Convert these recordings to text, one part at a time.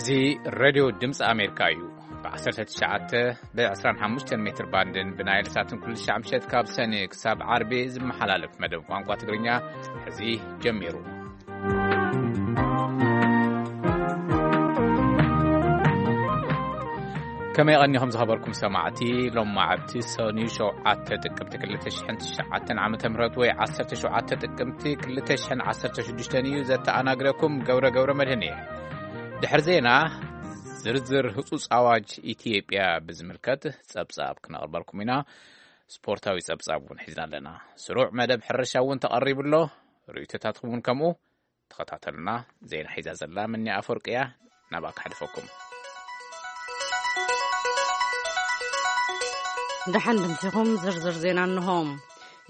እዚ ሬድዮ ድምፂ ኣሜሪካ እዩ። ብ19፣ ብ25 ሜትር ባንድን ብናይል ሳትን ኩሉ ሻዕ ምሸት ካብ ሰኒ ክሳብ ዓርቢ ዝመሓላለፍ መደብ ቋንቋ ትግርኛ ሕዚ ጀሚሩ። ከመይ ቀኒኹም ዝኸበርኩም ሰማዕቲ? ሎማዓንቲ ሰኒ ሸውዓተ ጥቅምቲ ክልተ ሽሕን ትሽዓተን ዓመተ ምህረት ወይ ዓሰርተ ሸውዓተ ጥቅምቲ ክልተ ሽሕን ዓሰርተ ሽዱሽተን እዩ። ዘተኣናግረኩም ገብረ ገብረ መድህን እየ። ድሕሪ ዜና ዝርዝር ህጹጽ ኣዋጅ ኢትዮጵያ ብዝምልከት ጸብጻብ ክነቕርበልኩም ኢና። ስፖርታዊ ጸብጻብ እውን ሒዝና ኣለና። ስሩዕ መደብ ሕርሻ እውን ተቐሪቡ ኣሎ። ርእይቶታትኩም እውን ከምኡ። ተኸታተሉና። ዜና ሒዛ ዘላ ምኒ ኣፈወርቂ እያ። ናብኣ ክሓልፈኩም። ደሓን ድምሲኹም። ዝርዝር ዜና እንሆ።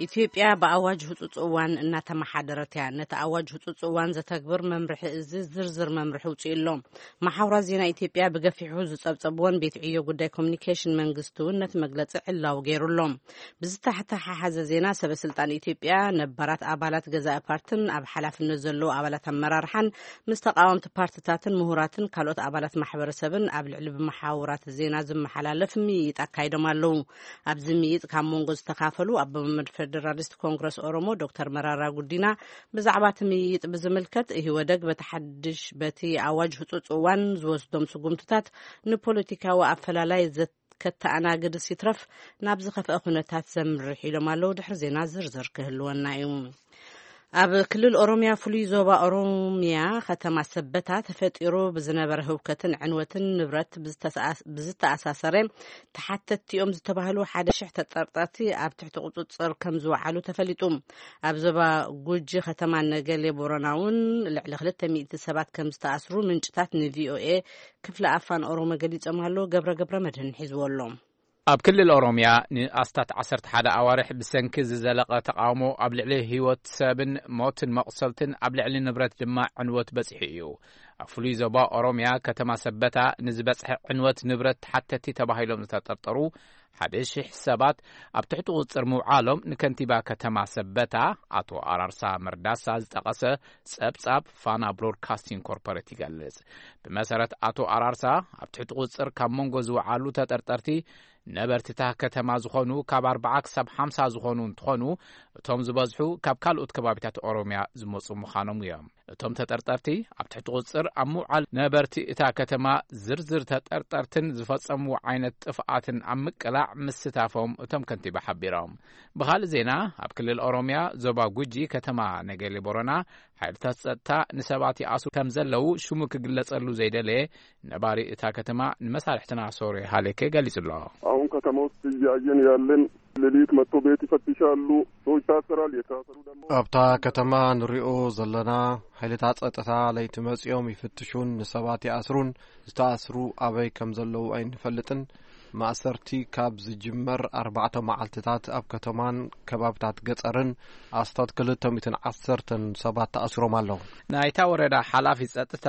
ኢትዮጵያ ብኣዋጅ ህጹጽ እዋን እናተመሓደረት እያ። ነቲ ኣዋጅ ህጹጽ እዋን ዘተግብር መምርሒ እዚ ዝርዝር መምርሒ ውጽኡ ኣሎ። መሓውራት ዜና ኢትዮጵያ ብገፊሑ ዝጸብጸብዎን ቤት ዕዮ ጉዳይ ኮሚኒኬሽን መንግስቲ እውን ነቲ መግለጺ ዕላዊ ገይሩ ኣሎ። ብዝተሓሓዘ ዜና፣ ሰበ ስልጣን ኢትዮጵያ፣ ነባራት ኣባላት ገዛኢ ፓርትን ኣብ ሓላፍነት ዘለዉ ኣባላት ኣመራርሓን ምስ ተቃወምቲ ፓርትታትን ምሁራትን ካልኦት ኣባላት ማሕበረሰብን ኣብ ልዕሊ ብመሓውራት ዜና ዝመሓላለፍ ምይይጥ ኣካይዶም ኣለዉ። ኣብዚ ምይይጥ ካብ መንጎ ዝተኻፈሉ ኣቦ መንበር ፌደራሊስት ኮንግረስ ኦሮሞ ዶክተር መራራ ጉዲና ብዛዕባ እቲ ምይይጥ ብዝምልከት፣ ኢህወደግ በቲ ሓድሽ፣ በቲ ኣዋጅ ህጹጽ እዋን ዝወስዶም ስጉምትታት ንፖለቲካዊ ኣፈላላይ ዘ- ከተኣናግድስ ይትረፍ ናብ ዝኸፍአ ኩነታት ዘምርሕ ኢሎም ኣለዉ። ድሕሪ ዜና ዝርዝር ክህልወና እዩ። ኣብ ክልል ኦሮሚያ ፍሉይ ዞባ ኦሮሚያ ከተማ ሰበታ ተፈጢሩ ብዝነበረ ህውከትን ዕንወትን ንብረት ብዝተሰኣስ-፣ ብዝተኣሳሰረ ተሓተትቲ እዮም ዝተባህሉ ሓደ ሽሕ ተጠርጠርቲ ኣብ ትሕቲ ቁጽጽር ከም ዝወዓሉ ተፈሊጡ። ኣብ ዞባ ጉጂ ከተማ ነገሌ ቦረና እውን ልዕሊ ክልተ ሚእቲ ሰባት ከም ዝተኣስሩ ምንጭታት ንቪኦኤ ክፍለ ኣፋን ኦሮሞ ገሊጾም ኣለዉ። ገብረ ገብረ መድህን ሒዝዎ ኣሎ። ኣብ ክልል ኦሮምያ ንኣስታት ዓሰርተ ሓደ ኣዋርሕ ብሰንኪ ዝዘለቐ ተቓውሞ ኣብ ልዕሊ ህይወት ሰብን ሞትን መቑሰልትን ኣብ ልዕሊ ንብረት ድማ ዕንወት በጺሑ እዩ። ኣብ ፍሉይ ዞባ ኦሮምያ ከተማ ሰበታ ንዝበጽሐ ዕንወት ንብረት ተሓተቲ ተባሂሎም ዝተጠርጠሩ ሓደ ሽሕ ሰባት ኣብ ትሕቲ ቁጽጽር ምውዓሎም ንከንቲባ ከተማ ሰበታ ኣቶ ኣራርሳ መርዳሳ ዝጠቐሰ ጸብጻብ ፋና ብሮድካስቲንግ ኮርፖሬት ይገልጽ። ብመሰረት ኣቶ ኣራርሳ፣ ኣብ ትሕቲ ቁጽጽር ካብ መንጎ ዝወዓሉ ተጠርጠርቲ ነበርቲታ ከተማ ዝኾኑ ካብ ኣርባዓ ክሳብ ሓምሳ ዝኾኑ እንትኾኑ፣ እቶም ዝበዝሑ ካብ ካልኦት ከባቢታት ኦሮምያ ዝመጹ ምዃኖም እዮም። እቶም ተጠርጠርቲ ኣብ ትሕቲ ቁጽጽር ኣብ ምውዓል ነበርቲ እታ ከተማ ዝርዝር ተጠርጠርትን ዝፈጸምዎ ዓይነት ጥፍኣትን ኣብ ምቅላዕ ምስታፎም እቶም ከንቲባ ሓቢሮም። ብኻልእ ዜና፣ ኣብ ክልል ኦሮምያ ዞባ ጉጂ ከተማ ነገሌ ቦረና ሓይልታት ጸጥታ ንሰባት ይኣስሩ ከም ዘለዉ ሽሙ ክግለጸሉ ዘይደለየ ነባሪ እታ ከተማ ንመሳርሕትና ሶሬ ሃሌኬ ገሊጹ ኣሎ። አሁን ከተማ ውስጥ እያየን ያለን ሌሊት መጥቶ ቤት ይፈትሻሉ። ሰው ይታሰራል። የታሰሩ ደግሞ ኣብታ ከተማ ንሪኦ ዘለና ሓይልታት ጸጥታ ለይቲ መጺኦም ይፍትሹን ንሰባት ይኣስሩን። ዝተኣስሩ ኣበይ ከም ዘለዉ ኣይንፈልጥን። ማእሰርቲ ካብ ዝጅመር ኣርባዕተ መዓልትታት ኣብ ከተማን ከባብታት ገጸርን ኣስታት ክልተ ሚእትን ዓሰርተን ሰባት ተኣሲሮም ኣለዉ። ናይታ ወረዳ ሓላፊ ጸጥታ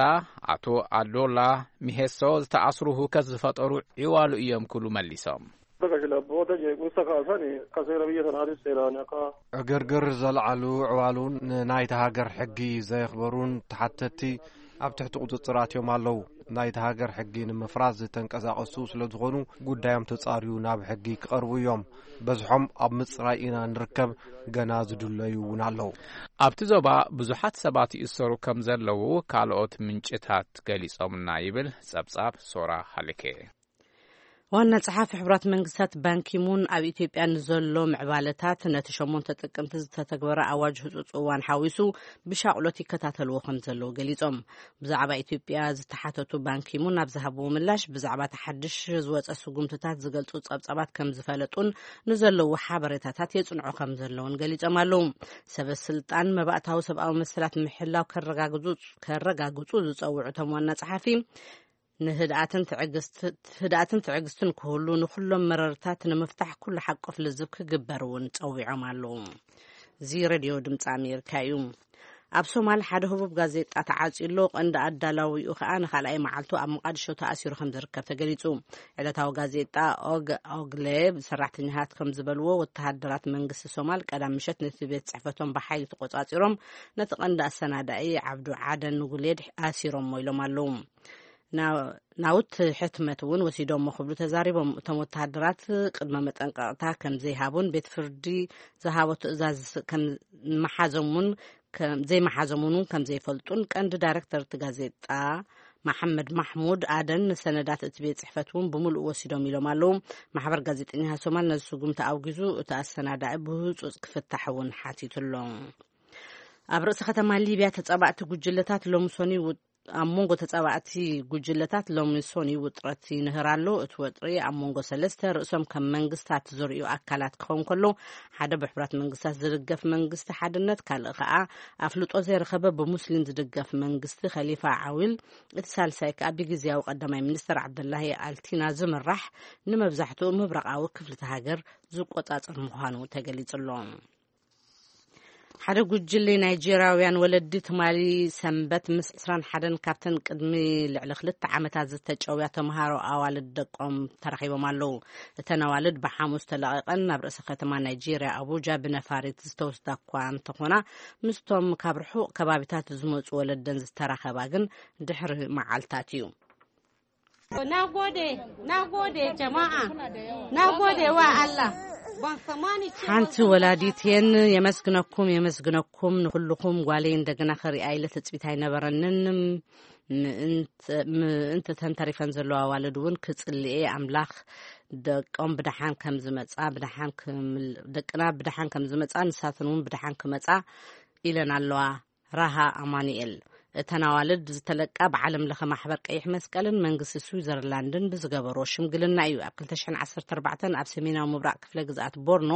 ኣቶ ኣዶላ ሚሄሶ፣ ዝተኣስሩ ህውከት ዝፈጠሩ ዒዋሉ እዮም ክብሉ መሊሶም። Bakka kilabboota jeequmsa kaasan akka seera biyya sanaatis seeraan akka ዕግርግር ዘልዓሉ ዕዋሉ ንናይታ ሃገር ሕጊ ዘየኽበሩን ተሓተቲ ኣብ ትሕቲ ቁጽጽር ኣትዮም ኣለዉ። ናይታ ሃገር ሕጊ ንምፍራስ ዝተንቀሳቐሱ ስለ ዝኾኑ ጉዳዮም ተጻርዩ ናብ ሕጊ ክቐርቡ እዮም። በዝሖም ኣብ ምጽራይ ኢና ንርከብ፣ ገና ዝድለዩ እውን ኣለዉ። ኣብቲ ዞባ ብዙሓት ሰባት ይእሰሩ ከም ዘለዉ ካልኦት ምንጭታት ገሊጾምና ይብል ጸብጻብ ሶራ ሃልኬ። ዋና ጸሓፊ ሕቡራት መንግስታት ባንኪሙን ኣብ ኢትዮጵያ ንዘሎ ምዕባለታት ነቲ ሸሞንተ ጥቅምቲ ዝተተግበረ ኣዋጅ ህጹጽ እዋን ሓዊሱ ብሻቕሎት ይከታተልዎ ከም ዘለዉ ገሊጾም። ብዛዕባ ኢትዮጵያ ዝተሓተቱ ባንኪሙን ኣብ ዝሃብዎ ምላሽ ብዛዕባ እቲ ሓድሽ ዝወጸ ስጉምትታት ዝገልጹ ጸብጻባት ከም ዝፈለጡን ንዘለዉ ሓበሬታታት የጽንዑ ከም ዘለዉን ገሊጾም ኣለዉ። ሰበ ስልጣን መባእታዊ ሰብኣዊ መሰላት ምሕላው ከረጋግጹ፣ ከረጋግጹ ዝጸውዑ እቶም ዋና ጸሓፊ ንህድኣትን ትዕግስት-፣ ህድኣትን ትዕግስትን ክህሉ፣ ንኹሎም መረርታት ንምፍታሕ ኩሉ ሓቆፍ ልዝብ ክግበር እውን ጸዊዖም ኣለዉ። እዚ ሬድዮ ድምፂ ኣሜሪካ እዩ። ኣብ ሶማል ሓደ ህቡብ ጋዜጣ ተዓፅዩ ኣሎ። ቀንዲ ኣዳላዊኡ ከዓ ንኻልኣይ መዓልቱ ኣብ መቃድሾ ተኣሲሩ ከም ዝርከብ ተገሊፁ። ዕለታዊ ጋዜጣ ኦግ ኦግለ ሰራሕተኛታት ከም ዝበልዎ፣ ወተሃደራት መንግስቲ ሶማል ቀዳም ምሸት ነቲ ቤት ፅሕፈቶም ብሓይሊ ተቆፃፂሮም ነቲ ቀንዲ ኣሰናዳኢ ዓብዱ ዓደን ንጉሌድ ኣሲሮሞ ኢሎም ኣለዉ። ናውቲ ሕትመት እውን ወሲዶሞ ክብሉ ተዛሪቦም። እቶም ወተሃደራት ቅድመ መጠንቀቕታ ከም ዘይሃቡን ቤት ፍርዲ ዝሃቦ ትእዛዝ ከም መሓዞም እውን ዘይመሓዞም እውን ከም ዘይፈልጡን ቀንዲ ዳይረክተር እቲ ጋዜጣ መሓመድ ማሕሙድ ኣደን ንሰነዳት እቲ ቤት ጽሕፈት እውን ብምሉእ ወሲዶም ኢሎም ኣለዉ። ማሕበር ጋዜጠኛ ሶማል ነዚ ስጉምቲ ኣውጊዙ እቲ ኣሰናዳኢ ብህጹጽ ክፍታሕ እውን ሓቲቱ ኣሎ። ኣብ ርእሲ ከተማ ሊብያ ተጻባእቲ ጉጅለታት ሎምሶኒ ኣብ መንጎ ተጻባእቲ ጉጅለታት ሎሚ ሶኒ ውጥረት ይንህር ኣሎ። እቲ ወጥሪ ኣብ መንጎ ሰለስተ ርእሶም ከም መንግስታት ዝርእዩ ኣካላት ክኸውን ከሎ፣ ሓደ ብሕቡራት መንግስታት ዝድገፍ መንግስቲ ሓድነት፣ ካልእ ከኣ ኣፍልጦ ዘይረኸበ ብሙስሊም ዝድገፍ መንግስቲ ከሊፋ ዓዊል፣ እቲ ሳልሳይ ከኣ ብግዝያዊ ቀዳማይ ሚኒስተር ዓብደላሂ ኣልቲና ዝምራሕ ንመብዛሕትኡ ምብራቓዊ ክፍልቲ ሃገር ዝቆጻጸር ምዃኑ ተገሊጹ ኣሎ። ሓደ ጉጅለ ናይጄርያውያን ወለዲ ትማሊ ሰንበት ምስ ዕስራን ሓደን ካብተን ቅድሚ ልዕሊ ክልተ ዓመታት ዝተጨውያ ተምሃሮ ኣዋልድ ደቆም ተረኺቦም ኣለዉ። እተን ኣዋልድ ብሓሙስ ተለቒቐን ናብ ርእሰ ከተማ ናይጄርያ ኣቡጃ ብነፋሪት ዝተወስዳ እኳ እንተኾና፣ ምስቶም ካብ ርሑቕ ከባቢታት ዝመጹ ወለደን ዝተራኸባ ግን ድሕሪ መዓልታት እዩ። Na gode, na gode jama'a, na gode wa Allah. Ban tsammani cewa ሓንቲ ወላዲት የን የመስግነኩም፣ የመስግነኩም ንኹልኹም። ጓለይ እንደገና ከሪኣ ኢለ ትጽቢት ኣይነበረንን። ምእንት-፣ ምእንቲ ተንተሪፈን ዘለዋ ኣዋልድ እውን ክጽልኤ ኣምላኽ ደቆም ብደሓን ከም ዝመጻ፣ ብደሓን ክምል-፣ ደቅና ብደሓን ከም ዝመጻ፣ ንሳተን እውን ብደሓን ክመጻ ኢለን ኣለዋ። ራሃ ኣማኑኤል። እተን ኣዋልድ ዝተለቃ ብዓለም ለኸ ማሕበር ቀይሕ መስቀልን መንግስቲ ስዊዘርላንድን ብዝገበሮ ሽምግልና እዩ። ኣብ ክልተ ሽሕን ዓሰርተ ኣርባዕተን ኣብ ሰሜናዊ ምብራቕ ክፍለ ግዝኣት ቦርኖ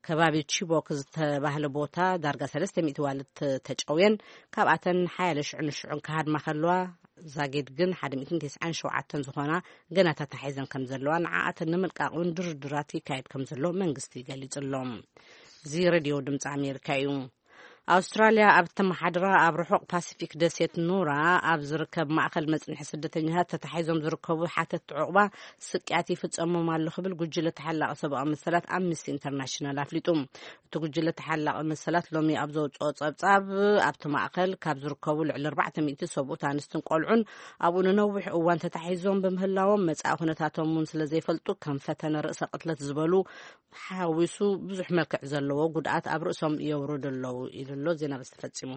ከባቢ ቺቦክ ዝተባህለ ቦታ ዳርጋ ሰለስተ ሚእቲ ዋልድ ተ-፣ ተጨውየን፣ ካብኣተን ሓያለ ሽዑ ንሽዑን ክሃድማ ከለዋ፣ ዛጌድ ግን ሓደ ሚእትን ተስዓን ሸውዓተን ዝኾና ገና ተታሒዘን ከም ዘለዋ፣ ንዓኣተን ንምልቃቕ እውን ድርድራት ይካየድ ከም ዘሎ መንግስቲ ገሊጹ ኣሎ። እዚ ሬድዮ ድምፂ ኣሜሪካ እዩ። ኣውስትራልያ ኣብ እተመሓድራ ኣብ ርሑቕ ፓሲፊክ ደሴት ኑራ ኣብ ዝርከብ ማእኸል መጽንሒ ስደተኛታት ተታሒዞም ዝርከቡ ሓተትቲ ዕቑባ ስቅያት ይፍጸሞም ኣሎ ክብል ጉጅለ ተሓላቒ ሰብኣዊ መሰላት ኣምነስቲ ኢንተርናሽናል ኣፍሊጡ። እቲ ጉጅለ ተሓላቒ መሰላት ሎሚ ኣብ ዘውጽኦ ጸብጻብ፣ ኣብቲ ማእከል ካብ ዝርከቡ ልዕሊ ኣርባዕተ ሚእቲ ሰብኡት ኣንስትን ቆልዑን ኣብኡ ንነዊሕ እዋን ተታሒዞም ብምህላዎም፣ መጻኢ ኩነታቶም እውን ስለ ዘይፈልጡ ከም ፈተነ ርእሰ ቅትለት ዝበሉ ሓዊሱ ብዙሕ መልክዕ ዘለዎ ጉድኣት ኣብ ርእሶም የውርዱ ኣለዉ ኢሉ ኣሎ። ዜና በዚ ተፈጺሙ።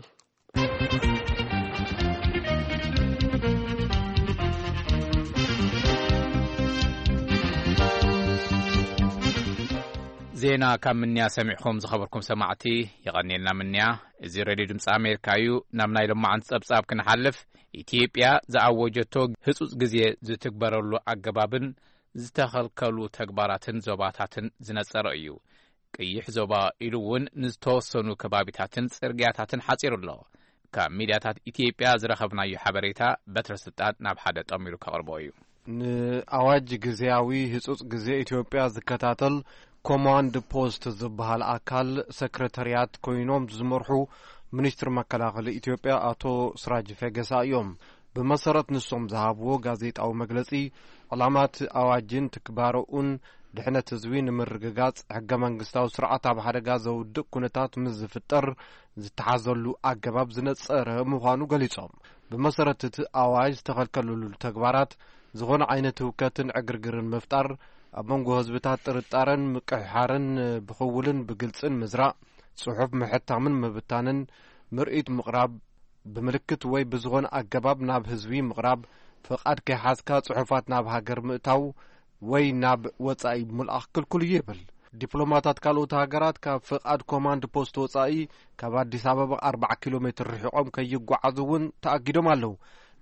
ዜና ካብ ምንያ ሰሚዕኹም ዝኸበርኩም ሰማዕቲ፣ የቐንየልና ምንያ። እዚ ሬድዮ ድምፂ ኣሜሪካ እዩ። ናብ ናይ ሎማዓንቲ ጸብጻብ ክንሓልፍ፣ ኢትዮጵያ ዝኣወጀቶ ህጹጽ ግዜ ዝትግበረሉ ኣገባብን ዝተኸልከሉ ተግባራትን ዞባታትን ዝነጸረ እዩ። ቅይሕ ዞባ ኢሉ እውን ንዝተወሰኑ ከባቢታትን ጽርግያታትን ሓጺሩ ኣሎ። ካብ ሚድያታት ኢትዮጵያ ዝረኸብናዮ ሓበሬታ በትረ ስልጣን ናብ ሓደ ጠሚሩ ከቕርቦ እዩ። ንኣዋጅ ግዜያዊ ህጹጽ ግዜ ኢትዮጵያ ዝከታተል ኮማንድ ፖስት ዝበሃል ኣካል ሰክረታርያት ኮይኖም ዝመርሑ ሚኒስትር መከላኸሊ ኢትዮጵያ ኣቶ ስራጅ ፈገሳ እዮም። ብመሰረት ንሶም ዝሃብዎ ጋዜጣዊ መግለጺ፣ ዕላማት ኣዋጅን ትግባረኡን ድሕነት ህዝቢ ንምርግጋጽ፣ ሕገ መንግስታዊ ስርዓት ኣብ ሓደጋ ዘውድቕ ኩነታት ምስ ዝፍጠር ዝተሓዘሉ ኣገባብ ዝነጸረ ምዃኑ ገሊጾም። ብመሰረት እቲ ኣዋጅ ዝተኸልከለሉ ተግባራት፣ ዝኾነ ዓይነት ህውከትን ዕግርግርን ምፍጣር፣ ኣብ መንጎ ህዝብታት ጥርጣረን ምቅሕሓርን፣ ብኽውልን ብግልጽን ምዝራእ፣ ጽሑፍ ምሕታምን ምብታንን፣ ምርኢት ምቕራብ፣ ብምልክት ወይ ብዝኾነ ኣገባብ ናብ ህዝቢ ምቕራብ፣ ፍቓድ ከይሓዝካ ጽሑፋት ናብ ሃገር ምእታው ወይ ናብ ወጻኢ ምልኣኽ ክልኩል እዩ ይብል። ዲፕሎማታት ካልኦት ሃገራት ካብ ፍቓድ ኮማንድ ፖስት ወጻኢ ካብ ኣዲስ ኣበባ ኣርባዓ ኪሎ ሜትር ርሒቖም ከይጓዓዙ እውን ተኣጊዶም ኣለዉ።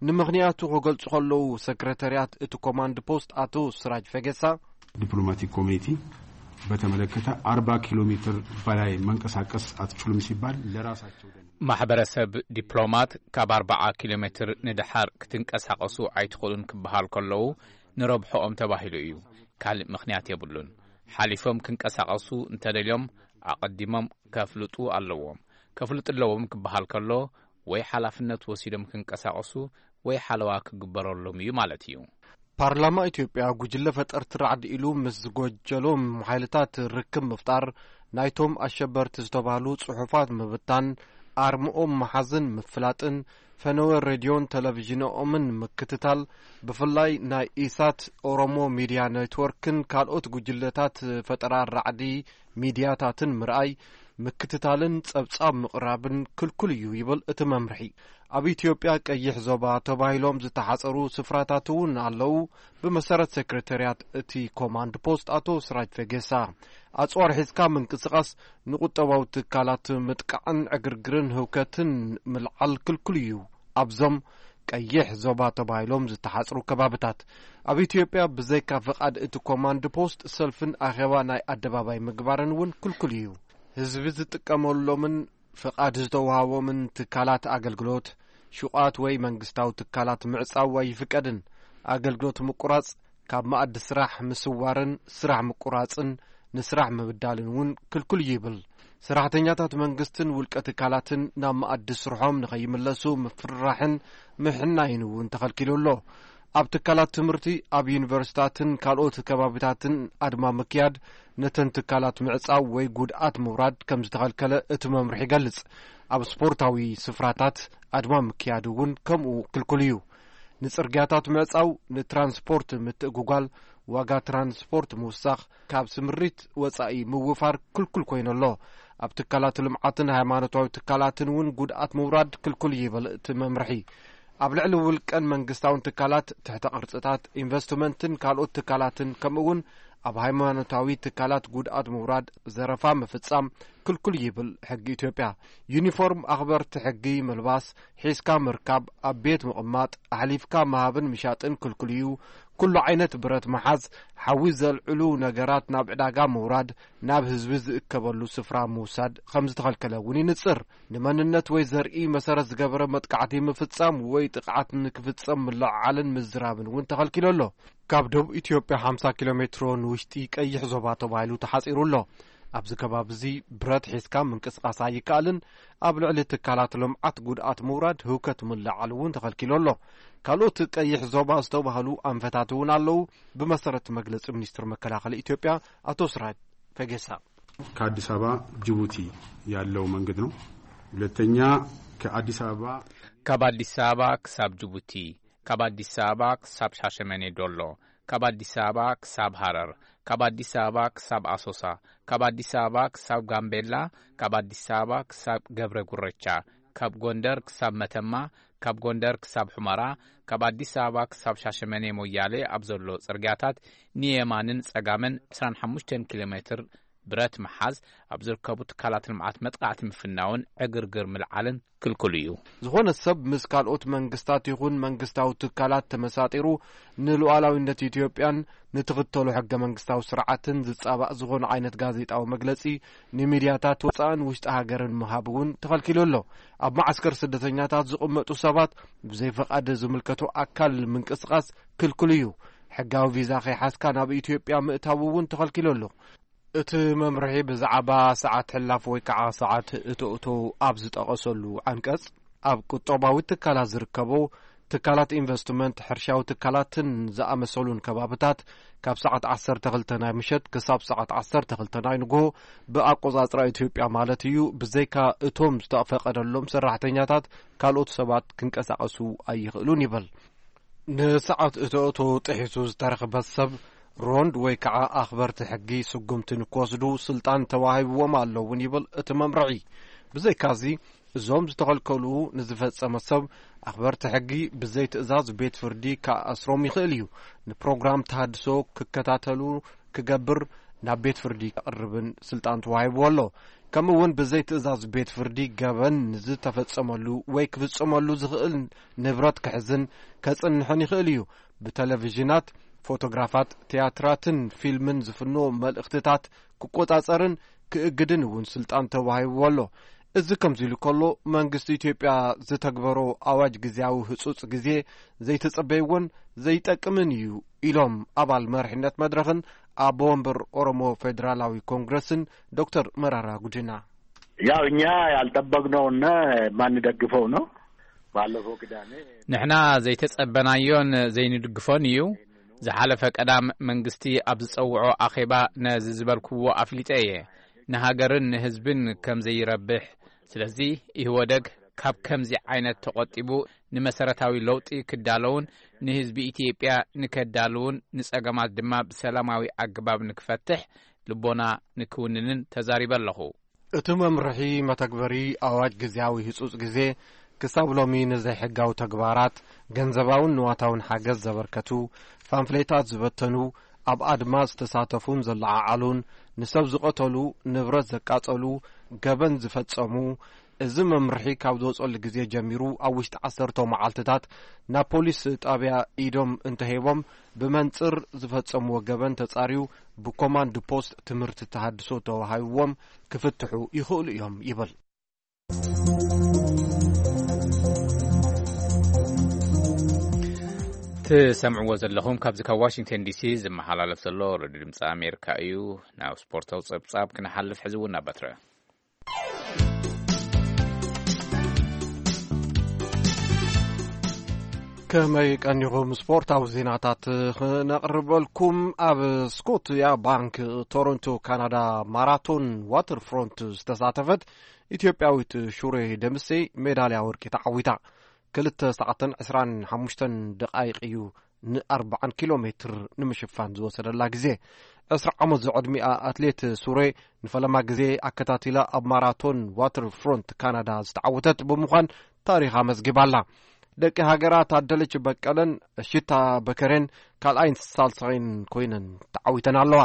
ንምኽንያቱ ክገልጹ ከለዉ፣ ሰክረታርያት እቲ ኮማንድ ፖስት ኣቶ ስራጅ ፈገሳ፣ ዲፕሎማቲክ ኮሚኒቲ በተመለከተ አርባ ኪሎ ሜትር በላይ መንቀሳቀስ አትችሉም ሲባል ለራሳቸው ደን ማሕበረሰብ ዲፕሎማት ካብ ኣርባዓ ኪሎ ሜትር ንደሓር ክትንቀሳቐሱ ኣይትኽእሉን ክበሃል ከለዉ፣ ንረብሖኦም ተባሂሉ እዩ። ካልእ ምኽንያት የብሉን። ሓሊፎም ክንቀሳቐሱ እንተደልዮም፣ ኣቐዲሞም ከፍልጡ ኣለዎም። ከፍልጡ ኣለዎም ክበሃል ከሎ፣ ወይ ሓላፍነት ወሲዶም ክንቀሳቐሱ፣ ወይ ሓለዋ ክግበረሎም እዩ ማለት እዩ። ፓርላማ ኢትዮጵያ፣ ጉጅለ ፈጠርቲ ራዕዲ ኢሉ ምስ ዝጎጀሎም ሓይልታት ርክብ ምፍጣር፣ ናይቶም ኣሸበርቲ ዝተባህሉ ጽሑፋት ምብታን፣ ኣርምኦም ምሓዝን ምፍላጥን፣ ፈነወ ሬድዮን ቴሌቪዥንኦምን ምክትታል፣ ብፍላይ ናይ ኢሳት፣ ኦሮሞ ሚድያ ኔትወርክን ካልኦት ጉጅለታት ፈጠራ ራዕዲ ሚድያታትን ምርኣይ፣ ምክትታልን ጸብጻብ ምቕራብን ክልኩል እዩ ይብል እቲ መምርሒ። ኣብ ኢትዮጵያ ቀይሕ ዞባ ተባሂሎም ዝተሓጸሩ ስፍራታት እውን ኣለዉ። ብመሰረት ሴክሬታርያት እቲ ኮማንድ ፖስት ኣቶ ስራጅ ፈጌሳ፣ ኣጽዋር ሒዝካ ምንቅስቓስ ንቁጠባዊ ትካላት ምጥቃዕን ዕግርግርን ህውከትን ምልዓል ክልኩል እዩ። ኣብዞም ቀይሕ ዞባ ተባሂሎም ዝተሓጽሩ ከባብታት ኣብ ኢትዮጵያ ብዘይካ ፍቓድ እቲ ኮማንድ ፖስት ሰልፍን ኣኼባ ናይ ኣደባባይ ምግባርን እውን ክልኩል እዩ። ህዝቢ ዝጥቀመሎምን ፍቓድ ዝተዋህቦምን ትካላት ኣገልግሎት፣ ሹቓት ወይ መንግስታዊ ትካላት ምዕጻው ኣይፍቀድን። ኣገልግሎት ምቁራጽ፣ ካብ መኣዲ ስራሕ ምስዋርን ስራሕ ምቁራጽን ንስራሕ ምብዳልን እውን ክልኩል እዩ ይብል። ሰራሕተኛታት መንግስትን ውልቀ ትካላትን ናብ መኣዲ ስርሖም ንኸይምለሱ ምፍርራሕን ምሕናይን እውን ተኸልኪሉ ኣሎ። ኣብ ትካላት ትምህርቲ፣ ኣብ ዩኒቨርሲታትን ካልኦት ከባቢታትን ኣድማ ምክያድ፣ ነተን ትካላት ምዕጻው ወይ ጉድኣት ምውራድ ከም ዝተኸልከለ እቲ መምርሒ ይገልጽ። ኣብ ስፖርታዊ ስፍራታት ኣድማ ምክያድ እውን ከምኡ ክልኩል እዩ። ንጽርግያታት ምዕጻው፣ ንትራንስፖርት ምትእጉጓል፣ ዋጋ ትራንስፖርት ምውሳኽ፣ ካብ ስምሪት ወጻኢ ምውፋር ክልኩል ኮይኑ ኣሎ። ኣብ ትካላት ልምዓትን ሃይማኖታዊ ትካላትን እውን ጉድኣት ምውራድ ክልኩል እዩ ይብል እቲ መምርሒ። ኣብ ልዕሊ ውልቀን መንግስታውን ትካላት፣ ትሕተ ቅርጽታት፣ ኢንቨስትመንትን ካልኦት ትካላትን፣ ከምኡ እውን ኣብ ሃይማኖታዊ ትካላት ጉድኣት ምውራድ፣ ዘረፋ ምፍጻም ክልኩል ይብል ሕጊ ኢትዮጵያ። ዩኒፎርም ኣኽበርቲ ሕጊ ምልባስ፣ ሒዝካ ምርካብ፣ ኣብ ቤት ምቕማጥ፣ ኣሕሊፍካ ምሃብን ምሻጥን ክልኩል እዩ። ኩሉ ዓይነት ብረት ምሓዝ፣ ሓዊ ዘልዕሉ ነገራት ናብ ዕዳጋ ምውራድ፣ ናብ ህዝቢ ዝእከበሉ ስፍራ ምውሳድ ከም ዝተኸልከለ እውን ይንጽር። ንመንነት ወይ ዘርኢ መሰረት ዝገበረ መጥቃዕቲ ምፍጻም ወይ ጥቕዓት ንክፍጸም ምልዕዓልን ምዝራብን እውን ተኸልኪሉ ኣሎ። ካብ ደቡብ ኢትዮጵያ ሓምሳ ኪሎ ሜትሮ ንውሽጢ ቀይሕ ዞባ ተባሂሉ ተሓጺሩ ኣሎ። ኣብዚ ከባቢ እዚ ብረት ሒዝካ ምንቅስቓስ ኣይከኣልን። ኣብ ልዕሊ ትካላት ልምዓት ጉድኣት ምውራድ፣ ህውከት ምልዓል እውን ተኸልኪሉ ኣሎ። ካልኦት ቀይሕ ዞባ ዝተባህሉ ኣንፈታት እውን ኣለዉ። ብመሰረት መግለጺ ሚኒስትር መከላኸሊ ኢትዮጵያ ኣቶ ስራጅ ፈጌሳ፣ ከአዲስ አበባ ጅቡቲ ያለው መንገድ ነው። ሁለተኛ ከአዲስ አበባ ካብ ኣዲስ ኣበባ ክሳብ ጅቡቲ፣ ካብ ኣዲስ ኣበባ ክሳብ ሻሸመኔ ዶሎ፣ ካብ ኣዲስ ኣበባ ክሳብ ሃረር፣ ካብ ኣዲስ ኣበባ ክሳብ ኣሶሳ፣ ካብ ኣዲስ ኣበባ ክሳብ ጋምቤላ፣ ካብ ኣዲስ ኣበባ ክሳብ ገብረ ጉረቻ፣ ካብ ጎንደር ክሳብ መተማ፣ ካብ ጎንደር ክሳብ ሑመራ፣ ካብ ኣዲስ ኣበባ ክሳብ ሻሸመኔ ሞያሌ ኣብ ዘሎ ጽርግያታት ንየማንን ጸጋምን ዕስራን ሓሙሽተን ኪሎ ሜትር ብረት ምሓዝ፣ ኣብ ዝርከቡ ትካላት ልምዓት መጥቃዕቲ ምፍናውን ዕግርግር ምልዓልን ክልኩል እዩ። ዝኾነ ሰብ ምስ ካልኦት መንግስታት ይኹን መንግስታዊ ትካላት ተመሳጢሩ፣ ንሉዓላዊነት ኢትዮጵያን ንትኽተሎ ሕገ መንግስታዊ ስርዓትን ዝጻባእ ዝኾነ ዓይነት ጋዜጣዊ መግለጺ፣ ንሚድያታት ወጻእን ውሽጢ ሃገርን ምሃብ እውን ተኸልኪሉ ኣሎ። ኣብ መዓስከር ስደተኛታት ዝቕመጡ ሰባት ብዘይ ፈቓድ ዝምልከቶ ኣካል ምንቅስቓስ ክልኩል እዩ። ሕጋዊ ቪዛ ከይሓዝካ ናብ ኢትዮጵያ ምእታው እውን ተኸልኪሉ ኣሎ። እቲ መምርሒ ብዛዕባ ሰዓት ሕላፍ ወይ ከዓ ሰዓት እቶእቶ ኣብ ዝጠቐሰሉ ዓንቀጽ፣ ኣብ ቁጠባዊ ትካላት ዝርከቡ ትካላት ኢንቨስትመንት፣ ሕርሻዊ ትካላትን ዝኣመሰሉን ከባብታት፣ ካብ ሰዓት ዓሰርተ ክልተ ናይ ምሸት ክሳብ ሰዓት ዓሰርተ ክልተ ናይ ንግሆ ብኣቆጻጽራ ኢትዮጵያ ማለት እዩ፣ ብዘይካ እቶም ዝተፈቐደሎም ሰራሕተኛታት ካልኦት ሰባት ክንቀሳቐሱ ኣይኽእሉን ይብል። ንሰዓት እቶእቶ ጥሒሱ ዝተረኽበ ሰብ፣ ሮንድ ወይ ከዓ ኣኽበርቲ ሕጊ ስጉምቲ ንክወስዱ ስልጣን ተዋሂብዎም ኣሎ እውን ይብል እቲ መምርሒ። ብዘይካዚ፣ እዞም ዝተኸልከሉ ንዝፈጸመ ሰብ፣ ኣኽበርቲ ሕጊ ብዘይ ትእዛዝ ቤት ፍርዲ ክኣስሮም ይኽእል እዩ። ንፕሮግራም ተሃድሶ ክከታተሉ ክገብር ናብ ቤት ፍርዲ ከቕርብን ስልጣን ተዋሂብዎ ኣሎ። ከምኡ እውን ብዘይ ትእዛዝ ቤት ፍርዲ ገበን ንዝተፈጸመሉ ወይ ክፍጸመሉ ዝኽእል ንብረት ክሕዝን ከጽንሕን ይኽእል እዩ። ብቴሌቪዥናት፣ ፎቶግራፋት፣ ትያትራትን ፊልምን ዝፍኖ መልእኽትታት ክቆጻጸርን ክእግድን እውን ስልጣን ተዋሂብዎ ኣሎ። እዚ ከምዚ ኢሉ ከሎ፣ መንግስቲ ኢትዮጵያ ዝተግበሮ ኣዋጅ ግዜያዊ ህጹጽ ግዜ ዘይተጸበይዎን ዘይጠቅምን እዩ ኢሎም ኣባል መሪሕነት መድረኽን ኣቦ ወንበር ኦሮሞ ፌዴራላዊ ኮንግረስን ዶክተር መራራ ጉዲና። ያው እኛ ያልጠበቅነውና የማንደግፈው ነው። ባለፈው ቅዳሜ ንሕና ዘይተጸበናዮን ዘይንድግፎን እዩ። ዝሓለፈ ቀዳም መንግስቲ ኣብ ዝጸውዖ ኣኼባ ነዚ ዝበልክዎ ኣፍሊጠ እየ። ንሃገርን ንህዝብን ከም ዘይረብሕ። ስለዚ ኢህወደግ ካብ ከምዚ ዓይነት ተቖጢቡ ንመሰረታዊ ለውጢ ክዳለውን ንህዝቢ ኢትዮጵያ ንከዳልውን ንጸገማት ድማ ብሰላማዊ ኣገባብ ንክፈትሕ ልቦና ንክውንንን ተዛሪበ ኣለኹ። እቲ መምርሒ መተግበሪ ኣዋጅ ግዝያዊ ህጹጽ ግዜ ክሳብ ሎሚ ንዘይሕጋዊ ተግባራት ገንዘባውን ንዋታውን ሓገዝ ዘበርከቱ፣ ፋምፍሌታት ዝበተኑ፣ ኣብ ኣድማ ዝተሳተፉን ዘለዓዓሉን፣ ንሰብ ዝቐተሉ፣ ንብረት ዘቃጸሉ፣ ገበን ዝፈጸሙ፣ እዚ መምርሒ ካብ ዝወጸሉ ግዜ ጀሚሩ ኣብ ውሽጢ ዓሰርተ መዓልትታት ናብ ፖሊስ ጣብያ ኢዶም እንተሂቦም፣ ብመንጽር ዝፈጸምዎ ገበን ተጻርዩ ብኮማንድ ፖስት ትምህርቲ ተሃድሶ ተዋሂብዎም ክፍትሑ ይኽእሉ እዮም ይብል። ትሰምዕዎ ዘለኹም ካብዚ ካብ ዋሽንግተን ዲሲ ዝመሓላለፍ ዘሎ ሬድዮ ድምፂ ኣሜሪካ እዩ። ናብ ስፖርታዊ ጸብጻብ ክንሓልፍ ሕዚ እውን ናብ በትረ። ከመይ ቀኒኹም? ስፖርታዊ ዜናታት ክነቕርበልኩም። ኣብ ስኮትያ ባንክ ቶሮንቶ ካናዳ ማራቶን ዋተርፍሮንት ዝተሳተፈት ኢትዮጵያዊት ሹሬ ደምሴ ሜዳልያ ወርቂ ተዓዊታ። ክልተ ሰዓትን ዕስራን ሓሙሽተን ደቓይቕ እዩ ንኣርብዓን ኪሎ ሜትር ንምሽፋን ዝወሰደላ ግዜ። ዕስራ ዓመት ዝዕድሚኣ ኣትሌት ሱሬ ንፈለማ ግዜ ኣከታቲላ ኣብ ማራቶን ዋተር ፍሮንት ካናዳ ዝተዓወተት ብምዃን ታሪኽ ኣመዝጊባ ኣላ። ደቂ ሃገራ ታደለች በቀለን እሽታ በከሬን ካልኣይን ሳልሳይን ኮይነን ተዓዊተን ኣለዋ።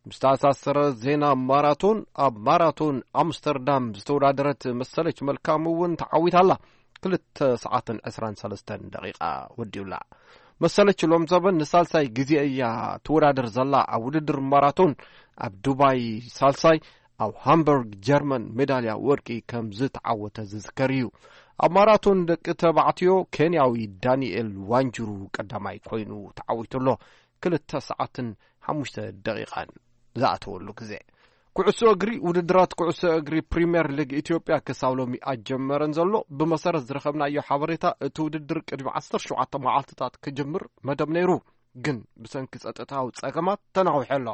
ምስ ተኣሳሰረ ዜና ማራቶን፣ ኣብ ማራቶን ኣምስተርዳም ዝተወዳደረት መሰለች መልካም እውን ተዓዊታ ኣላ። ክልተ ሰዓትን ዕስራን ሰለስተን ደቂቃ ወዲኡላ። መሰለች ሎም ዘበን ንሳልሳይ ግዜ እያ ትወዳደር ዘላ ኣብ ውድድር ማራቶን። ኣብ ዱባይ ሳልሳይ፣ ኣብ ሃምበርግ ጀርመን ሜዳልያ ወርቂ ከም ዝተዓወተ ዝዝከር እዩ። ኣብ ማራቶን ደቂ ተባዕትዮ ኬንያዊ ዳንኤል ዋንጅሩ ቀዳማይ ኮይኑ ተዓዊቱ ኣሎ። ክልተ ሰዓትን ሓሙሽተ ደቂቃን ዝኣተወሉ ግዜ። ኩዕሶ እግሪ፣ ውድድራት ኩዕሶ እግሪ ፕሪምየር ሊግ ኢትዮጵያ ክሳብ ሎሚ ኣጀመረን ዘሎ። ብመሰረት ዝረኸብናዮ ሓበሬታ፣ እቲ ውድድር ቅድሚ ዓሰርተ ሸውዓተ መዓልትታት ክጅምር መደብ ነይሩ፣ ግን ብሰንኪ ጸጥታዊ ጸገማት ተናዊሑ ኣሎ።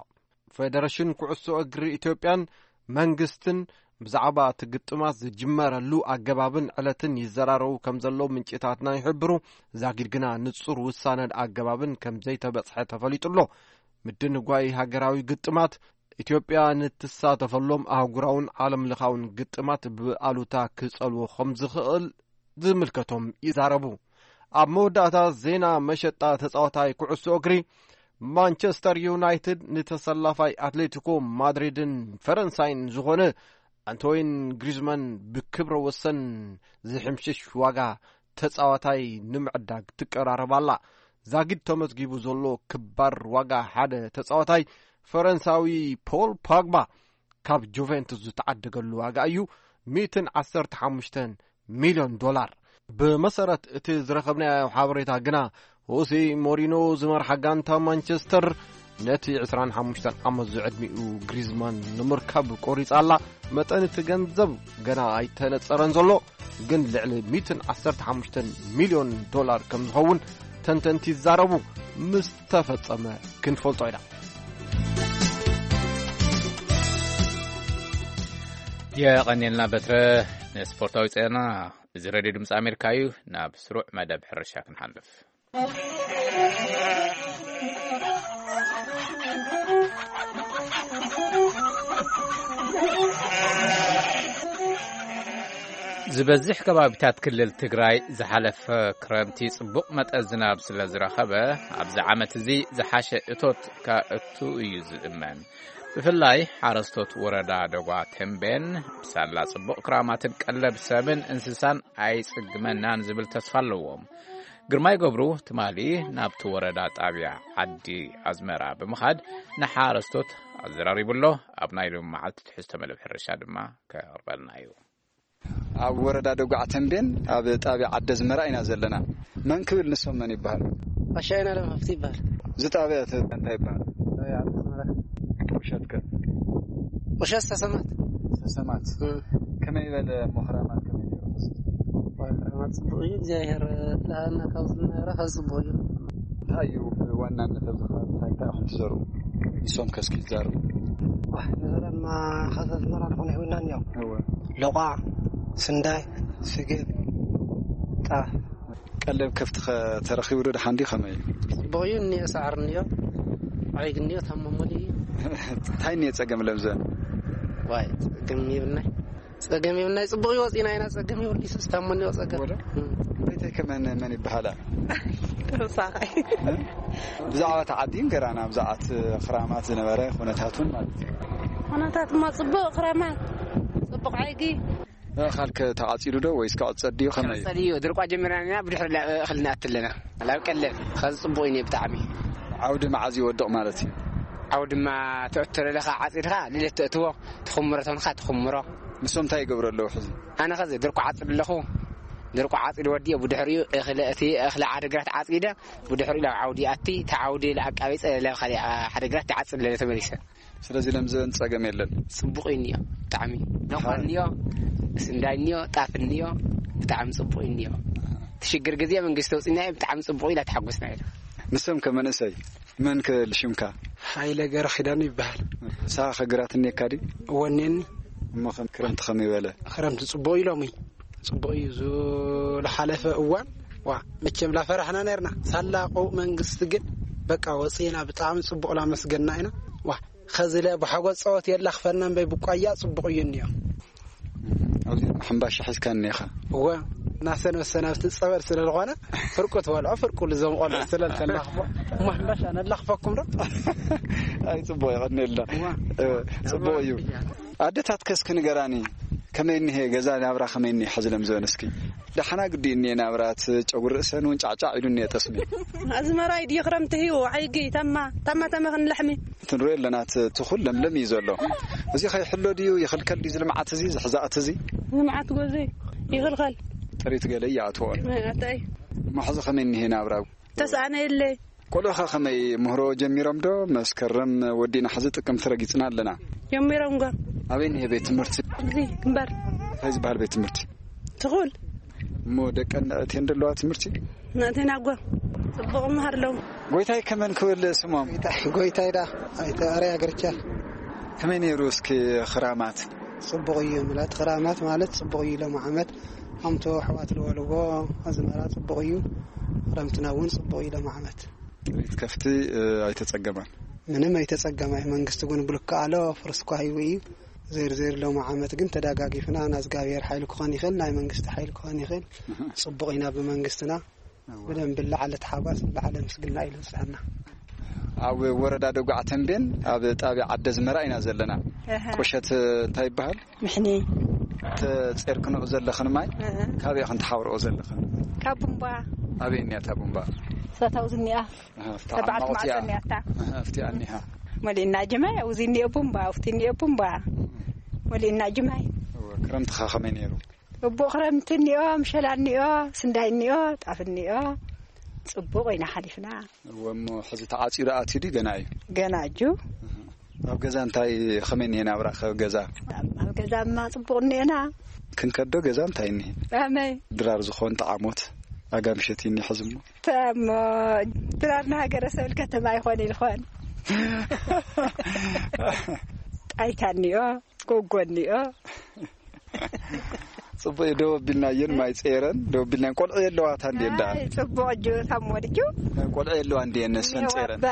ፌደሬሽን ኩዕሶ እግሪ ኢትዮጵያን መንግስትን ብዛዕባ እቲ ግጥማት ዝጅመረሉ ኣገባብን ዕለትን ይዘራረቡ ከም ዘለዉ ምንጭታትና ይሕብሩ። ዛጊድ ግና ንጹር ውሳነን ኣገባብን ከም ዘይተበጽሐ ተፈሊጡ ኣሎ። ምድንጓይ ሃገራዊ ግጥማት፣ ኢትዮጵያ ንትሳተፈሎም ኣህጉራውን ዓለም ለኻውን ግጥማት ብኣሉታ ክጸልዎ ከም ዝኽእል ዝምልከቶም ይዛረቡ። ኣብ መወዳእታ ዜና መሸጣ ተጻዋታይ ኩዕሶ እግሪ፣ ማንቸስተር ዩናይትድ ንተሰላፋይ ኣትሌቲኮ ማድሪድን ፈረንሳይን ዝኾነ ኣንቶይን ግሪዝማን ብክብረ ወሰን ዝሕምሽሽ ዋጋ ተጻዋታይ ንምዕዳግ ትቀራረብ ኣላ። ዛጊድ ተመዝጊቡ ዘሎ ክባር ዋጋ ሓደ ተጻዋታይ ፈረንሳዊ ፖል ፓግባ ካብ ጁቬንቱስ ዝተዓደገሉ ዋጋ እዩ፣ ሚእትን ዓሰርተ ሓሙሽተን ሚልዮን ዶላር። ብመሰረት እቲ ዝረኸብናዮ ሓበሬታ ግና፣ ሆሴ ሞሪኖ ዝመርሓ ጋንታ ማንቸስተር ነቲ ዕስራን ሓሙሽተን ዓመት ዝዕድሚኡ ግሪዝማን ንምርካብ ቆሪጻ ኣላ። መጠን እቲ ገንዘብ ገና ኣይተነጸረን ዘሎ፣ ግን ልዕሊ ሚእትን ዓሰርተ ሓሙሽተን ሚልዮን ዶላር ከም ዝኸውን ተንተንቲ ይዛረቡ። ምስ ተፈጸመ ክንፈልጦ ኢና። የቐንየልና በትረ ንስፖርታዊ ዜና። እዚ ሬድዮ ድምፂ ኣሜሪካ እዩ። ናብ ስሩዕ መደብ ሕርሻ ክንሓልፍ። ዝበዝሕ ከባቢታት ክልል ትግራይ ዝሓለፈ ክረምቲ ጽቡቕ መጠን ዝናብ ስለ ዝረኸበ፣ ኣብዚ ዓመት እዚ ዝሓሸ እቶት ከእቱ እዩ ዝእመን። ብፍላይ ሓረስቶት ወረዳ ደጓ ተምቤን፣ ብሳላ ጽቡቕ ክራማትን ቀለብ ሰብን እንስሳን ኣይጽግመናን ዝብል ተስፋ ኣለዎም። ግርማይ ገብሩ ትማሊ ናብቲ ወረዳ ጣብያ ዓዲ ኣዝመራ ብምኻድ ንሓረስቶት ኣዘራሪቡ ኣሎ። ኣብ ናይ ሎሚ መዓልቲ ትሕዝቶ መደብ ሕርሻ ድማ ከቕርበልና እዩ። ኣብ ወረዳ ደጓዕ ተምቤን ኣብ ጣብያ ዓዲ ኣዝመራ ኢና ዘለና። መን ክብል ንሶም መን ይበሃል? ኣሻይና ለማፍቲ ይበሃል። እዚ ጣብያ እቲ እንታይ ይበሃል? ጣብያ ዓዲ ኣዝመራ። ቁሸት ከ? ቁሸት ሰሰማት። ሰሰማት። እም። ከመይ ይበለ እሞ ክራማት ከመይ ነይሩ? ክራማት ጽቡቕ እዩ። እግዚኣብሔር ለሃና ካብ ዝነበረ ካብ ጽቡቕ እዩ። እንታይ እዩ ብዋናነት ኣብዚ ከባቢ እንታይ እንታይ ኢኹም ትዘርኡ? ንሶም ከ እስኪ ይዛረቡ። ዋሕ፣ ንዘረማ ካብ ኣዝመራ ንኾነ ይህውናን እዮም። እወ። ሎቋ፣ ስንዳይ፣ ስገም፣ ጣፍ። ቀለብ ከፍቲ ኸ ተረኺቡ ዶ? ደሓን ድዩ? ከመይ እዩ? ጽቡቕ እዩ። እኒኦ ሳዕሪ እኒኦ፣ ዓይግ እኒኦ፣ ታሞ ሙሉ እዩ። እንታይ እኒኦ ጸገም ለምዘን? ዋይ፣ ጸገም ይብልናይ። ጸገም ይብልናይ። ጽቡቕ እዩ፣ ወጺና ኢና። ጸገም ይብሉ ይሱስ፣ ታሞ እኒኦ ጸገም። ወደ? እም። እንታይ እንታይ ከመን መን ይበሃላ? ተወሳኻይ። እ? ብዛዕባ ተዓዲን ገራና፣ ብዛዕባ እቲ ክራማት ዝነበረ ኩነታቱን ማለት እዩ። ኩነታት እሞ ጽቡቕ ክራማት፣ ጽቡቕ ዓይጊ። ካልከ ተዓጺዱ ዶ ወይስ ክዕጸድ ድዩ? ከመይ እዩ? ክዕጸድ እዩ። ድርቋ ጀሚርና ኢና፣ ብድሕሪ ላ-፣ እኽሊ ንኣቲ ኣለና። ላብ ቀለብ፣ ኸዚ ጽቡቕ እዩ ብጣዕሚ። ዓውዲ መዓዝ ይወድቕ ማለት እዩ? ዓውዲ ድማ ተእትሮ ለኻ ዓጺድኻ፣ ልደት ተእትዎ፣ ትኹምሮ ተኾንካ ትኹምሮ። ንሶም እንታይ ይገብሩ ኣለዉ ሕዚ? ኣነ ኸዚ ድርቋ ዓጽድ ኣለኹ። ድርቋ ዓጺድ ወዲኦ፣ ብድሕሪኡ እኽሊ፣ እቲ እኽሊ ዓድግራት ዓጺደ፣ ብድሕሪኡ ላብ ዓውዲ ኣቲ፣ እቲ ዓውዲ ለኣቃቢጸ፣ ላብ ኻሊእ ዓድግራት ይዓጽድ ለለ ተመሊሰ። ስለዚ ለምዘን ጸገም የለን። ጽቡቕ እዩ እኒኦ፣ ብጣዕሚ። ደንኳን እኒኦ፣ ስንዳይ እኒኦ፣ ጣፍ እኒኦ፣ ብጣዕሚ ጽቡቕ እዩ እኒኦ። እቲ ሽግር ግዜ መንግስቲ ኣውጺእና እዩ፣ ብጣዕሚ ጽቡቕ ኢላ ተሓጎስና ኢና። ንሶም ከ መንእሰይ፣ መን ከ ልሽምካ? ሃይለ ገረ ኪዳኑ ይበሃል። ንስኻ ከ ግራት እኒኤካ ድዩ? ወኔኒ። እሞ ከም ክረምቲ ከመይ በለ? ክረምቲ ጽቡቕ እዩ ሎሚ። ጽቡቕ እዩ ዝሓለፈ እዋን። ዋ፣ መቸም ላፈራሕና ነርና። ሳላ ቆውእ መንግስቲ ግን በቃ ወጺእና ብጣዕሚ ጽቡቕ ላመስገንና ኢና። ዋ፣ ኸዚ ለ ብሓጎስ ጸወት የላኽፈና እምበይ ብቋያ ጽቡቕ እዩ እኒኦ። ኣብዚ ሕምባሻ ሒዝካ እኒኻ? እወ፣ እናሰንበሰና ኣብቲ ጸበል ስለ ዝኾነ ፍርቁ ትበልዖ፣ ፍርቁ ልዞም ቆልዑ ስለ ልተላኽፎ። እሞ ሕምባሻ ነላኽፈኩም ዶ? ኣይ፣ ጽቡቕ የቐንየልና። እዋ። እ፣ ጽቡቕ እዩ። ኣደታት ከስኪ ንገራኒ፣ ከመይ እኒሄ ገዛ ናብራ ከመይ እኒሄ ሕዚ ለምዘበን እስኪ? ደሓና ግዲ እኒሄ ናብራት ጨጉሪ ርእሰን እውን ጫዕጫዕ ኢሉ እኒሄ ጠስሚ። ኣዝመራይ ድዩ ክረምቲ ህዩ ዓይጊ ታማ፣ ታማ ተመኽን ለሕሚ። ትንሪኦ ኣለና እቲ ትኹል ለምለም እዩ ዘሎ። እዚ ከይሕሎ ድዩ ይኽልከል ድዩ እዚ ልምዓት እዚ፣ እዚ ሕዛእቲ እዚ? ልምዓት ጎዘይ ይኽልከል። ጥሪት ገለ ይኣትዎ። ኣታይ። እሞ ሕዚ ከመይ እኒሄ ናብራ? ተስኣነ የለ። ቆልዑኻ ከመይ ምህሮ ጀሚሮም ዶ? መስከረም ወዲእና ሕዚ ጥቅምቲ ረጊጽና ኣለና። ጀሚሮም ጓ። ኣበይ እኒሄ ቤት ትምህርቲ? እዚ ግንባር። እንታይ ዝበሃል ቤት ትምህርቲ? ትኹል። እሞ ደቀን ነእቴን ደለዋ ትምህርቲ? ነእቴን ኣጓ። ጽቡቕ መሃር ኣለዉ። ጎይታይ ከመን ክብል ስሞም? ጎይታይ፣ ጎይታይ ዳ፣ ኣይተ ኣርያ ገርቻ። ከመይ ነይሩ እስኪ ክራማት? ጽቡቕ እዩ ምላት፣ ክራማት ማለት ጽቡቕ እዩ ሎም ዓመት። ከምቲ ኣሕዋት ዝበልዎ ኣዝመራ ጽቡቕ እዩ። ክረምትና እውን ጽቡቕ እዩ ሎም ዓመት። ጥሪት ከፍቲ፣ እ፣ ኣይተጸገማን? ምንም ኣይተጸገማይ። መንግስቲ እውን ብልክዕ ኣሎ፣ ፍርስኳ ሂቡ እዩ። ዘይር ዘይር ሎም ዓመት ግን ተደጋጊፍና፣ ናዝጋብሔር ሓይሊ ክኾን ይኽእል፣ ናይ መንግስቲ ሓይሊ ክኾን ይኽእል። ጽቡቕ ኢና ብመንግስትና። እወ። ብደንቢ ለዓለ ተሓጓስ፣ ለዓለ ምስግና ኢሉ ዝጸና። ኣብ ወረዳ ደጉዓ ተንቤን፣ ኣብ ጣብያ ዓደ ዝመራ ኢና ዘለና። እህ። ቁሸት እንታይ ይበሃል? ምሕኒ። ተጼርክንኦ ዘለኽን ማይ፣ እህ። ካበይ ኢኽን ትሓውርኦ ዘለኽን? ካብ ቡምባ። ኣበይ እኒኣ እታ ቡምባ? ሳታው ዝኒኣ። እህ፣ ኣብቲ ሰብዓት ዓማቕ እቲኣ። ማዕጾ እኒኣ እታ። እህ፣ ኣብቲ እኒኣ። መሊእና ጅማይ፣ ኣብዚ እኒኦ ቡምባ፣ ኣብቲ እኒኦ ቡምባ። መሊእና ጅማይ። እወ፣ ክረምትኻ ከመይ ነይሩ? እቦ ክረምቲ እኒኦ፣ ምሸላ እኒኦ፣ ስንዳይ እኒኦ፣ ጣፍ እኒኦ፣ ጽቡቕ ኢና ሓሊፍና። እወ፣ እሞ ሕዚ ተዓጺዱ ኣትዩ ድዩ ገና እዩ? ገና እዩ። ኣብ ገዛ እንታይ ከመይ እኒሄ ናብራ? ከ ገዛ? ኣብ ገዛማ ጽቡቕ እኒኤና። ክንከዶ ገዛ እንታይ እኒሄ? ኣመይ። ድራር ዝኾን ጠዓሞት ኣጋምሸት እኒሄ ሕዚ እሞ? ተሞ ድራር ንሃገረ ሰብል ከተማ ይኾን ይልኾን። ጣይታ እኒኦ፣ ጎጎ እኒኦ። ጽቡቅ እዩ። ደው ኣቢልና እየን ማይ ጸይረን፣ ደው ኣቢልና እየን። ቆልዑ የለዋታ እንዴ እንዳ? ኣይ፣ ጽቡቅ እጁ ታሞ ድዩ? ቆልዑ የለዋ እንዴ እነሰን ጸይረን? እባ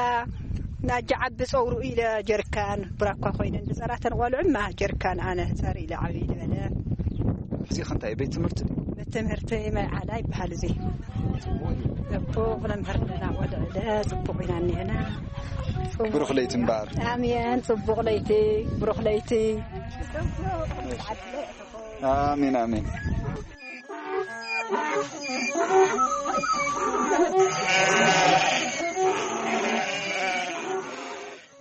ናጃ ዓቢ ጸውሩ ኢለ ጀርካን ብራኳ ኮይነን ዝጸራተን ቆልዑማ ጀርካን ኣነ ጸር ኢለ ዓቢ ዝበለ። ሕዚ ከ እንታይ ቤት ትምህርቲ? ቤት ትምህርቲ ማይ ዓላ ይበሃል እዚ። ጽቡቅ መምህር ኣለና ቆልዑ ለ ጽቡቅ ኢና እኒሀና። ጽቡቅ። ብሩኽ ለይቲ እምበኣር። ኣሜን። ጽቡቅ ለይቲ፣ ብሩኽ ለይቲ። ኣሜን፣ ኣሜን።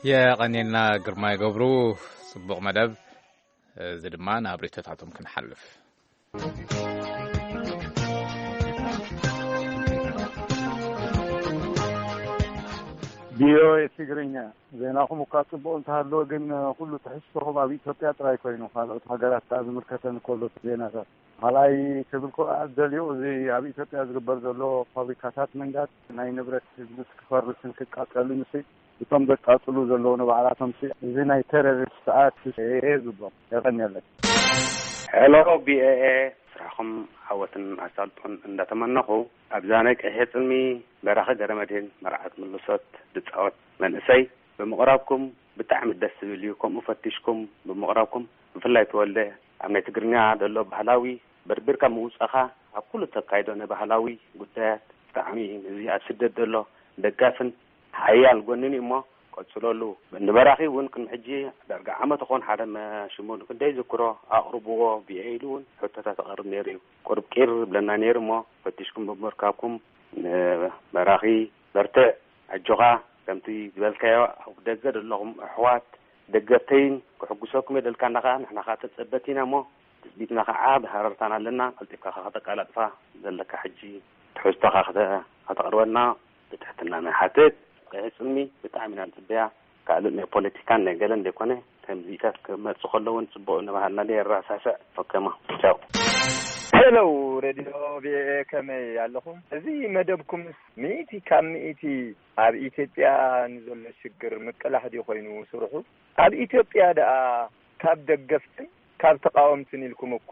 የቐኔልና ግርማይ ገብሩ፣ ጽቡቕ መደብ። እዚ ድማ ናብ ርእይቶታቶም ክንሓልፍ። ቪኦኤ ትግርኛ፣ ዜናኹም እኳ ጽቡቕ እንተሃለወ፣ ግን ኩሉ ትሕዝቶኹም ኣብ ኢትዮጵያ ጥራይ ኮይኑ፣ ካልኦት ሃገራት ከኣ ዝምልከተን ከሎ እቲ ዜናታት። ካልኣይ ክብል ከኣ ደልዮ፣ እዚ ኣብ ኢትዮጵያ ዝግበር ዘሎ ፋብሪካታት ምንዳድ፣ ናይ ንብረት ህዝቢ ክፈርስን ክቃጸልን ሲ፣ እቶም ዘቃጽሉ ዘለዉ ንባዕላቶም ሲ፣ እዚ ናይ ቴሮሪስት ኣክት እየ ዝብሎም። የቐንየለይ። ሄሎ፣ ቢ ኤ ኤ፣ ስራሕኹም ዓወትን ኣሳልጦን እንዳተመነኹ፣ ኣብዛ ናይ ቀይሕ ጽልሚ በራኺ ገረመድህን መርዓት ምልሶት ዝጻወት መንእሰይ ብምቕራብኩም ብጣዕሚ ደስ ዝብል እዩ። ከምኡ ፈቲሽኩም ብምቕራብኩም፣ ብፍላይ ተወልደ፣ ኣብ ናይ ትግርኛ ዘሎ ባህላዊ በርቢርካ ምውጻኻ ኣብ ኩሉ ተካይዶ ናይ ባህላዊ ጉዳያት ብጣዕሚ እዚ ኣብ ስደት ዘሎ ደጋፍን ሓያል ጎንን እዩ እሞ ቀጽለሉ። ንበራኺ እውን ቅድሚ ሕጂ ዳርጋ ዓመት ኾን ሓደ መ-፣ ሽሙ ክንደይ ዝክሮ ኣቕርብዎ ብየ ኢሉ እውን ሕቶታት ኣቕርብ ነይሩ እዩ። ቁርብ ቂር ብለና ነይሩ እሞ ፈቲሽኩም ብምርካብኩም ንበራኺ በርትዕ፣ ኣጆኻ። ከምቲ ዝበልካዮ ኣብ ደገ ዘለኹም ኣሕዋት ደገፍተይን ክሕጉሰኩም የደልካና ኸዓ ንሕና ኸዓ ተጸበቲና እሞ ትጽቢትና ኸዓ ብሃረርታና ኣለና። ቀልጢፍካ ኸዓ ከተቃላጥፋ ዘለካ ሕጂ ትሕዝቶኻ ከተ-፣ ከተቕርበልና ብትሕትና ንሓትት። ቀይሕ ጽልሚ ብጣዕሚ ኢና ንጽበያ። ካልእ ናይ ፖለቲካን ናይ ገለን ዘይኮነ፣ ከምዚታት ክመጽእ ከሎ እውን ጽቡቕ እናበሃልና ነየራሳስዕ። ኦኬማ፣ ቻው። ሄሎ፣ ሬድዮ ቪኦኤ፣ ከመይ ኣለኹም? እዚ መደብኩምስ ሚእቲ ካብ ሚእቲ ኣብ ኢትዮጵያ ንዘሎ ሽግር ምቅላሕ ድዩ ኮይኑ ስርሑ? ኣብ ኢትዮጵያ ደኣ ካብ ደገፍትን ካብ ተቃወምትን ኢልኩም እኮ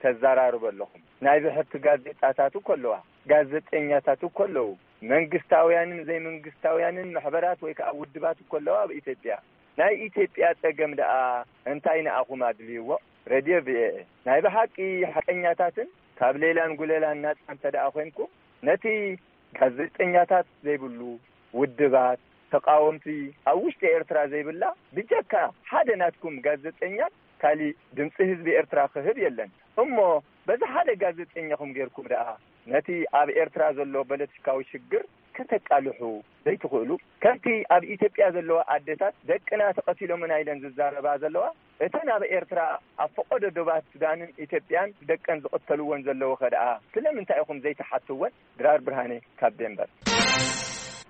ተዘራርቡ ኣለኹም። ናይ ብሕቲ ጋዜጣታት እኮ ኣለዋ፣ ጋዜጠኛታት እኮ ኣለዉ፣ መንግስታውያንን ዘይመንግስታውያንን ማሕበራት ወይ ከዓ ውድባት እኮ ኣለዋ ኣብ ኢትዮጵያ። ናይ ኢትዮጵያ ጸገም ደኣ እንታይ ንኣኹም ኣድልይዎ? ሬድዮ ቪኦኤ፣ ናይ ብሓቂ ሓቀኛታትን ካብ ሌላን ጉሌላን ናጻ እንተ ደኣ ኮይንኩም፣ ነቲ ጋዜጠኛታት ዘይብሉ ውድባት፣ ተቃወምቲ ኣብ ውሽጢ ኤርትራ ዘይብላ፣ ብጀካ ሓደ ናትኩም ጋዜጠኛ ካሊእ ድምጺ ህዝቢ ኤርትራ ክህብ የለን። እሞ በዚ ሓደ ጋዜጠኛኹም ጌርኩም ደኣ ነቲ ኣብ ኤርትራ ዘሎ ፖለቲካዊ ሽግር ከተቃልሑ ዘይትኽእሉ? ከምቲ ኣብ ኢትዮጵያ ዘለዋ ኣዴታት ደቅና ተቐቲሎምና ኢለን ዝዛረባ ዘለዋ፣ እተን ኣብ ኤርትራ ኣብ ፈቐዶ ዶባት ሱዳንን ኢትዮጵያን ደቀን ዝቕተልወን ዘለዉ ኸ ደኣ ስለምንታይ ኢኹም ዘይትሓትወን? ድራር ብርሃነ ካብ ዴንቨር።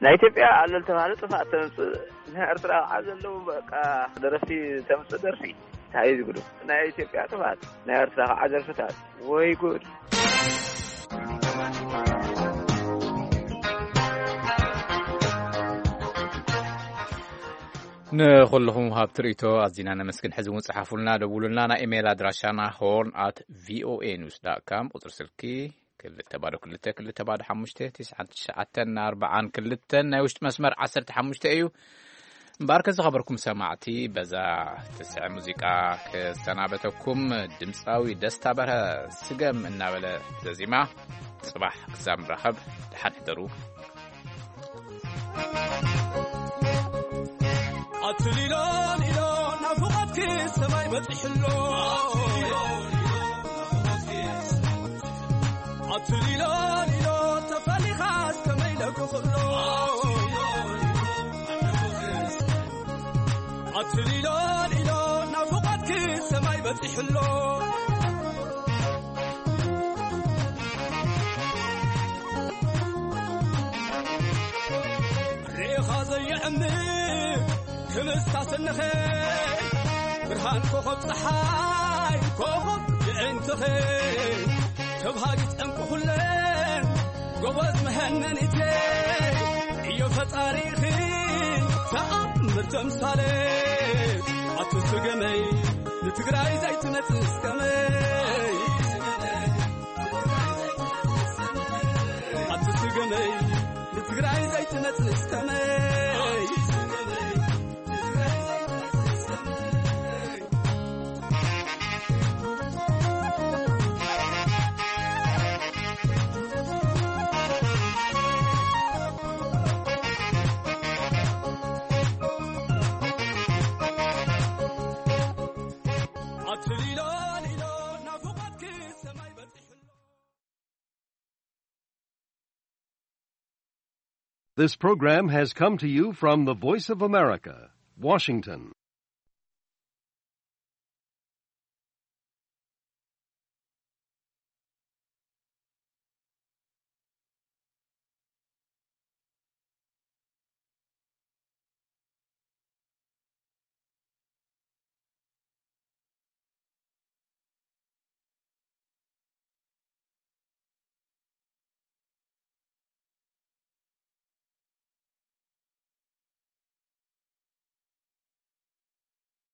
ናይ ኢትዮጵያ ኣሎ ዝተባህለ ጥፍኣት ተምጽእ፣ ናይ ኤርትራ ከዓ ዘለዉ በቃ ደረፍቲ ተምጽእ ደርፊ እንታይ እዩ ዝግዱ? ናይ ኢትዮጵያ ጥፍኣት፣ ናይ ኤርትራ ከዓ ደርፍታት። ወይ ጉድ! ንኹልኹም ሃብቲ ርእይቶ ኣዚና ነመስግን። ሕዚ እውን ጽሓፉልና፣ ደውሉልና። ናይ ኢሜይል ኣድራሻና ሆርን ኣት ቪኦኤ ኒውስ ዳት ካም፣ ቁጽሪ ስልኪ ክልተ ባዶ ክልተ ክልተ ባዶ ሓሙሽተ ትሽዓተ ትሽዓተ ኣርባዓን ክልተን፣ ናይ ውሽጢ መስመር ዓሰርተ ሓሙሽተ እዩ። እምበኣርከ ዝኸበርኩም ሰማዕቲ፣ በዛ ትስዕም ሙዚቃ ክሰናበተኩም፣ ድምጻዊ ደስታ በርሀ ስገም እናበለ ዘዚማ። ጽባሕ ክሳብ ንራኸብ፣ ደሓን ሕደሩ። ኣትሊሎ ሊሎ ናፍቖትኪ ሰማይ በጺሕሎ። ኣትሊሎ ሊሎ ተፈሊኻስ ከመይ ለክኽሎ። ኣትሊሎ ሊሎ ናፍቖትኪ ሰማይ በጺሕሎ። ርኢኻ ዘየዕምር ክምስታ ስንኸ፣ ብርሃን ኮኸብ ጸሓይ፣ ኮኸብ የዕንትኸ፣ ተብሃጊት ዕንቁ ኩለን ጎበዝ መሀነኒቴ፣ እዮ ፈጣሪኺ ተኣምር ተምሳሌ። ኣቱ ስገመይ ንትግራይ ዘይትመጽእ እስከመይ? ኣቲ ስገመይ ንትግራይ ዘይትመጽእ እስከመይ? ኣቲ ሊሎ ሊሎ ናፍቆትኪ ሰማይ በጺሑ። This program has come to you from the Voice of America, Washington.